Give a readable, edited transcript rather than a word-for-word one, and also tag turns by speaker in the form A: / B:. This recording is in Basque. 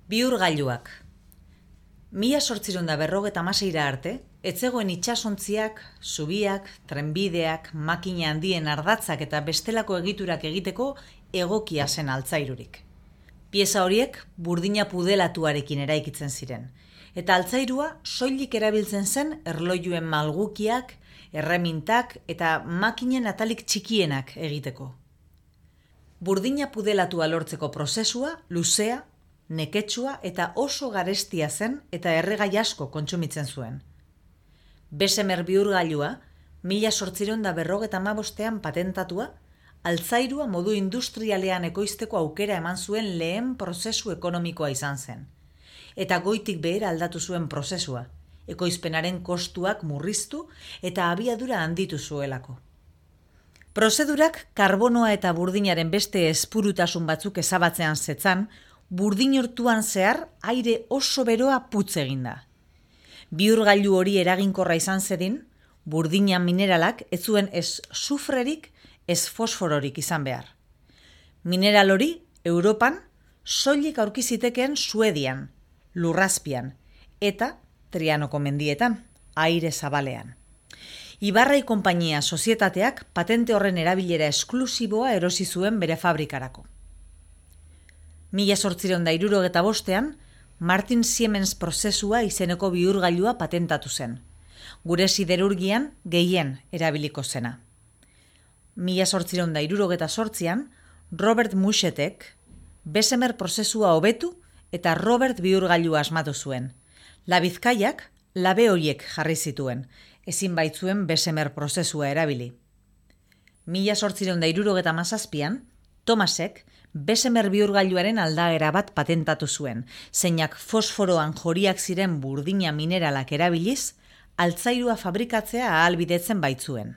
A: Bihurgailuak. 1856 arte, ez zegoen itsasontziak, zubiak, trenbideak, makina handien ardatzak eta bestelako egiturak egiteko egokia zen altzairurik. Pieza horiek burdina pudelatuarekin eraikitzen ziren, eta altzairua soilik erabiltzen zen erlojuen malgukiak, erremintak eta makinen atalik txikienak egiteko. Burdina pudelatua lortzeko prozesua luzea, neketsua eta oso garestia zen eta erregai asko kontsumitzen zuen. Bessemer bihurgailua 1855ean patentatua, altzairua modu industrialean ekoizteko aukera eman zuen lehen prozesu ekonomikoa izan zen. Eta goitik behera aldatu zuen prozesua, ekoizpenaren kostuak murriztu eta abiadura handitu zuelako. Prozedurak karbonoa eta burdinaren beste espurutasun batzuk ezabatzean zetzan, burdin urtuan zehar aire oso beroa putz eginda. Bihurgailu hori eraginkorra izan zedin, burdina mineralak ez zuen ez sufrerik, ez fosfororik izan behar. Mineral hori Europan soilik aurki zitekeen Suedian, Lurrazpian eta Trianoko mendietan, aire zabalean. Ibarrai konpainia sozietateak patente horren erabilera esklusiboa erosi zuen bere fabrikarako. 1865ean, Martin Siemens prozesua izeneko bihurgailua patentatu zen. Gure siderurgian gehien erabiliko zena. 1868ean, Robert Mouchetek Bessemer prozesua hobetu eta Robert bihurgailua asmatu zuen. Labizkaiak labe horiek jarri zituen, ezin baitzuen Bessemer prozesua erabili. 1877ean, Thomasek Bessemer bihurgailuaren aldagera bat patentatu zuen, zeinak fosforoan joriak ziren burdina mineralak erabiliz, altzairua fabrikatzea ahalbidetzen baitzuen.